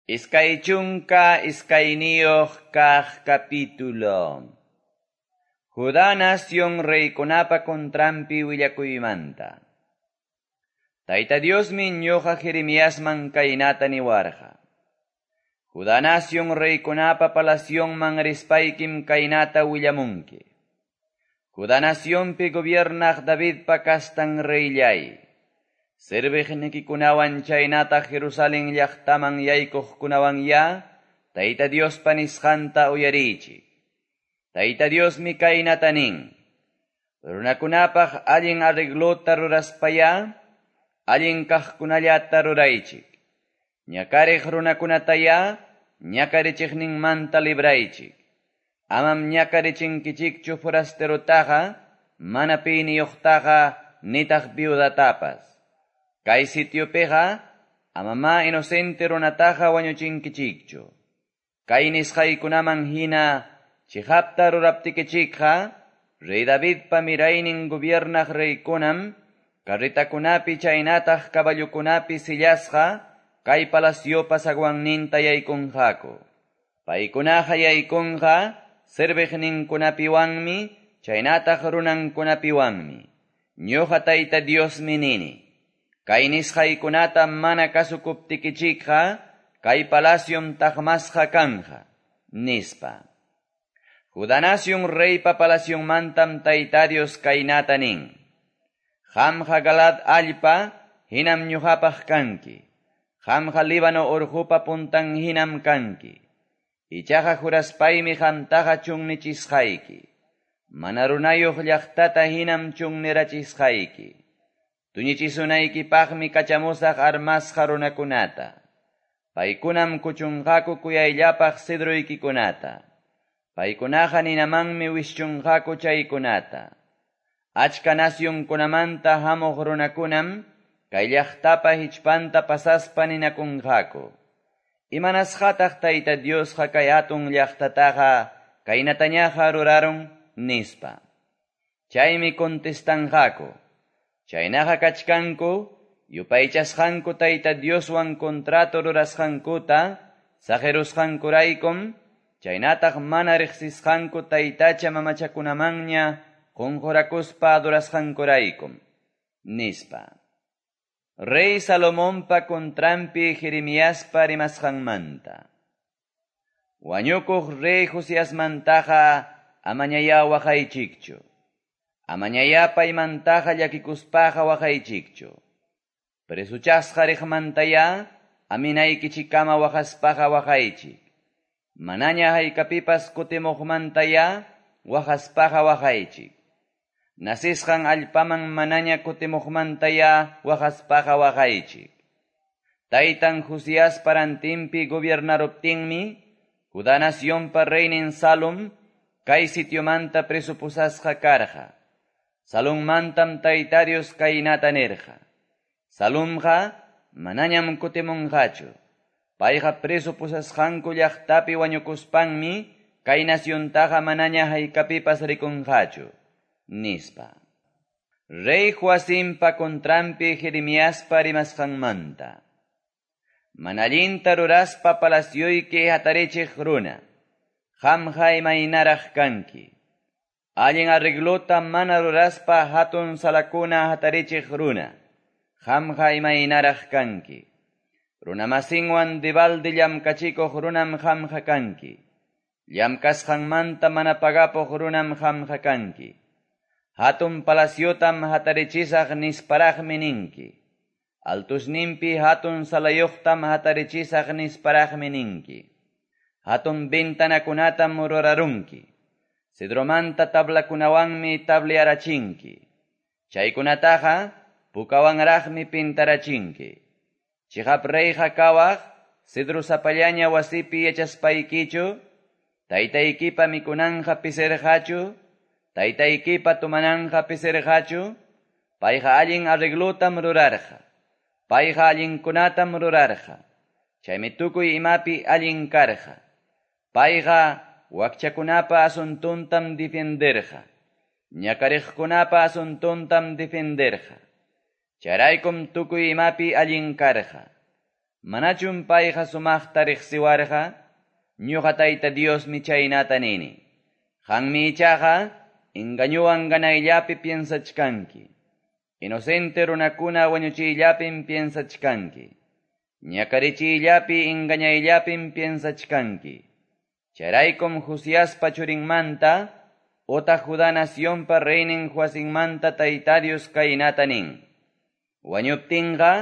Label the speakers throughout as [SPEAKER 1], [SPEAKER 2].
[SPEAKER 1] 22 kaq capítulo. Judá nación reykunapa contranpi willakuymanta. Tayta Diosmi ñuqa Jeremiasman kaynata niwarqa. Judá nación reykunapa palacionman rispaykim kaynata willamunki. Judá nacionpi gobiernaq Davidpa kastan reyllay. Serviqnikikunawan chaynata Jerusalén llaqtaman yaykuqkunawan ya, Tayta Diospa nisqanta uyariychik. Tayta Diosmi kaynata nin. Runakunapaq allin arreglota ruraspaya, allin kaqkunallata ruraychik. Ñakariq runakunataya, ñakarichiqninmanta libraychik. Amam ñakarichinkichikchu forasterotaqa, mana piniyuqtaqa, nitaq viudatapas. Kay sitiopiqa, amama inocente runataqa wañuchinkichikchu. Kay nisqaykunaman hina, chiqapta ruraptikichikqa, Rey Davidpa miraynin gobiernaq reykunam, carretakunapi chaynataq caballokunapi sillasqa, kay palaciopa zaguanninta yaykunqaku. Paykunaqa yaykunqa, serviqninkunapiwanmi, chaynataq runankunapiwanmi. Ñuqa Tayta Diosmi nini. Kay nisqaykunata mana kasukuptikichikqa, kay palaciom taqmasqa kanja, nispa. Judá nación reypa palacionmantam Tayta Dios kaynata nin. Qamqa Galaad allpa hinam ñuqapaq kanki. Qamqa Líbano urqupa puntan hinam kanki. Ichaqa juraspaymi qamtaqa chunnichisqayki. Mana runayuq llaqtata hinam chunnirachisqayki. Tuñichisunaykipaqmi kachamusaq armasqa runakunata. Paykunam kuchunqaku kuyayllapaq cedroykikunata. Paykunaqa ninamanmi wischunqaku chaykunata. Achka nacionkunamanta hamuq runakunam kay llaqtapa hichpanta pasaspa ninakunqaku. Imanasqataq Tayta Diosqa kay hatun llaqtataqa kaynatañaqa rurarun, nispa. Chaymi contestanqaku. Chaynaqa kachkanku, yupaychasqanku Tayta Dioswan contrato rurasqankuta, saqirusqankuraykum, chaynataq mana riqsisqanku taytacha mamachakunamanña qunqurakuspa adorasqankuraykum, nispa. Rey Salomonpa contranpi Jeremiaspa rimasqanmanta. Wañukuq rey Josiasmantaqa amañaya waqaychikchu. Amañaya paymantaqa llakikuspaqa waqaychikchu. Presuchasqa riqmantaya aminaykichikama waqaspaqa waqaychik. Manaña haykapipas kutimuqmantaya waqaspaqa waqaychik. Nasisqan allpaman manaña kutimuqmantaya waqaspaqa waqaychik. Taytan Josías parantinpi gobiernaruptinmi, Judá nacionpa reynin Salum kay sitiomanta presupusasqa karqa. Salummantam Tayta Dios kaynata nirqa. Salumqa manañam kutimunqachu. Payqa preso pusasqanku llaqtapi wañukuspanmi kay naciontaqa manaña haykapipas rikunqachu, nispa. Rey Joacimpa contranpi Jeremiaspa rimasqanmanta. Mana allinta ruraspa palacioyki hatarichiq runa, qamqa imaynaraq kanki. Allin arreglota mana ruraspa hatun salakuna hatarichiq runa, qamqa imaynaraq kanki. Runamasinwan debalde llamkachikuq runam qamqa kanki. Llamkasqanmanta mana pagapuq runam qamqa kanki. Hatun palaciotam hatarichisaq nisparaqmi ninki. Altusninpi hatun salayuqtam hatarichisaq nisparaqmi ninki. Hatun ventanakunatam rurarunki. Cedromanta tablakunawanmi tablearachinki. Chaykunataqa pukawanraqmi pintarachinki. Chiqap reyqa kawaq, cedro sapallaña wasipi yachaspaykichu, taytaykipa mikunanqa pisirqachu, taytaykipa tumananqa pisirqachu, payqa allin arreglotam rurarqa, payqa allinkunatam rurarqa, chaymi tukuy imapi allin karqa, payqa wakchakunapa asuntuntam defenderqa, ñakariqkunapa asuntuntam defenderqa. Chayraykum tukuy imapi allin karqa. Manachum payqa sumaqta reqsiwarqa? Ñuqa Tayta Diosmi chaynata nini. Qanmi ichaqa engañowan ganayllapi piensachkanki. Inocente runakuna wañuchiyllapim piensachkanki. Ñakarichiyllapi engañayllapim piensachkanki. Chayraykum Josiaspa churinmanta, otaq Judá nacionpa reynin Joacinmanta Tayta Dios kaynata nin. Wañuptinqa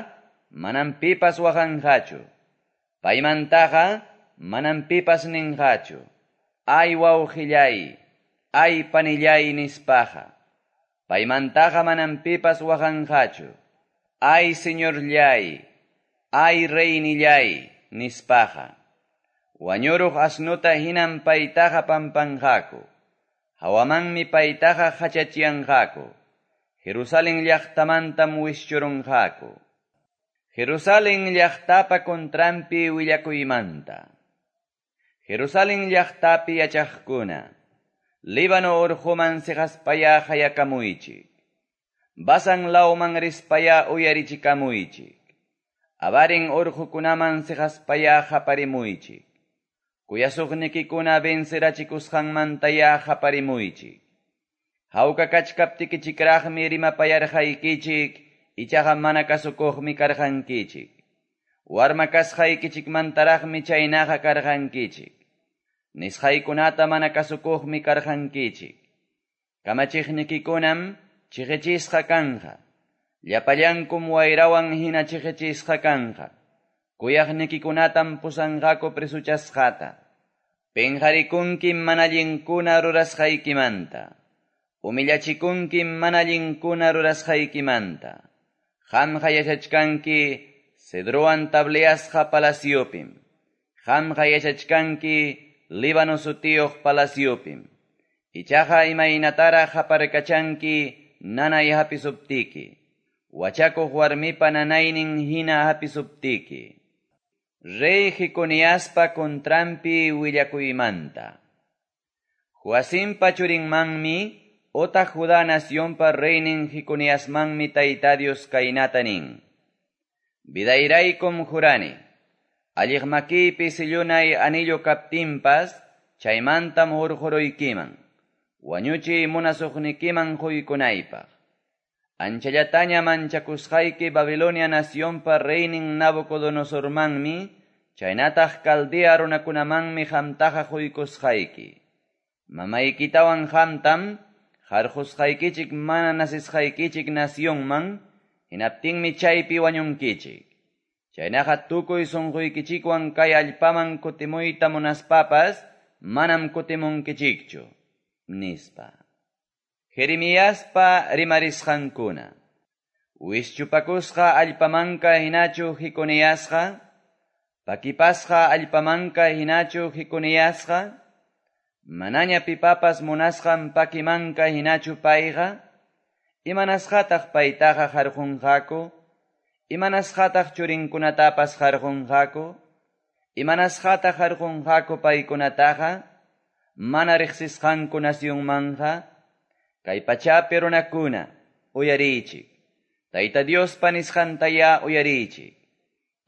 [SPEAKER 1] manam pipas waqanqachu. Paymantaqa manam pipas ninqachu. Ay wawqillay, ay panillay nispaqa. Paymantaqa manam pipas waqanqachu. Ay señorllay, ay reynillay nispaqa. Wañuruq asnuta hinam paytaqa pampanqaku. Hawamanmi paytaqa hachachiyanqaku. Jerusalén llaqtamantam wischurunqaku. Jerusalén llaqtapa contranpi willakuymanta. Jerusalén llaqtapi yachaqkuna. Líbano urquman siqaspaya qayakamuychik. Basan lawman rispaya uyarichikamuychik. Abarin urqukunaman siqaspaya qaparimuychik. Kuyasuqnikikuna vencerachikusqanmantaya qaparimuychik. Hawka kachkaptikichikraqmi rimapayarqaykichik, ichaqa mana kasukuqmi karqankichik. Warma kasqaykichikmantaraqmi chaynaqa karqankichik. Nisqaykunata mana kasukuqmi karqankichik. Kamachiqnikikunam chiqichisqa kanqa. Llapallankum wayrawan hina chiqichisqa kanqa. Kuyaqnikikunatam pusanqaku presuchasqata. Penqarikunkim mana allinkuna rurasqaykimanta. Humillachikunkim mana allinkuna rurasqaykimanta. Qamqa yachachkanki cedrowan tableasqa palaciopim. Qamqa yachachkanki Líbano sutiyuq palaciopim. Ichaqa imaynataraq qaparkachanki nanay hapisuptiki. Wachakuq warmipa nanaynin hina hapisuptiki. Rey Jeconiaspa contranpi willakuymanta. Joacimpa churinmanmi otaq Judá nacionpa reynin Jeconiasmanmi Tayta Dios kaynata nin. Vidayraykum jurani. Alliq makiypi sillunay anillo kaptinpas, chaymantam hurquruykiman. Wañuchiy munasuqnikiman quykunaypaq. Anchallataña manchakusqayki Babilonia nacionpa reynin Nabucodonosormanmi, chaynataq Caldea runakunamanmi qamtaqa quykusqayki. Mamaykitawan qamtam, qarqusqaykichik mana nasisqaykichik nacionman, hinaptinmi chaypi wañunkichik. Chaynaqa tukuy sunquykichikwan kay allpaman kutimuyta munaspapas, manam kutimunkichikchu, nispa. Jeremiaspa rimarisqankuna. Wischupakusqa allpamanka hinachu Jeconiasqa, pakipasqa allpamanka hinachu Jeconiasqa, manaña pipapas munasqan pakimanka hinachu payqa, imanasqataq paytaqa qarqunqaku, imanasqataq churinkunatapas qarqunqaku, imanasqataq qarqunqaku paykunataqa, mana riqsisqanku nacionmanja, kay pachapi runakuna, uyariychik. Tayta Diospa nisqantaya uyariychik.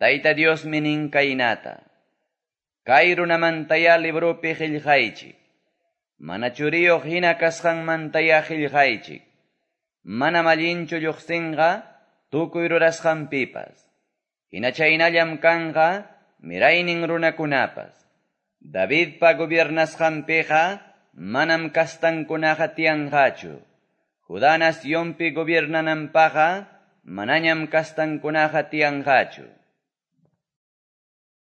[SPEAKER 1] Tayta Diosmi nin kaynata. Kay runamantaya libropi qillqaychik. Mana churiyuq hina kasqanmantaya qillqaychik. Manam allinchu lluqsinqa tukuy rurasqanpipas. Hina chaynallam kanqa miraynin runakunapas. Davidpa gobiernasqanpiqa manam kastankunaqa tiyanqachu. Judá nacionpi gobiernananpaqa manañam kastankunaqa tiyanqachu.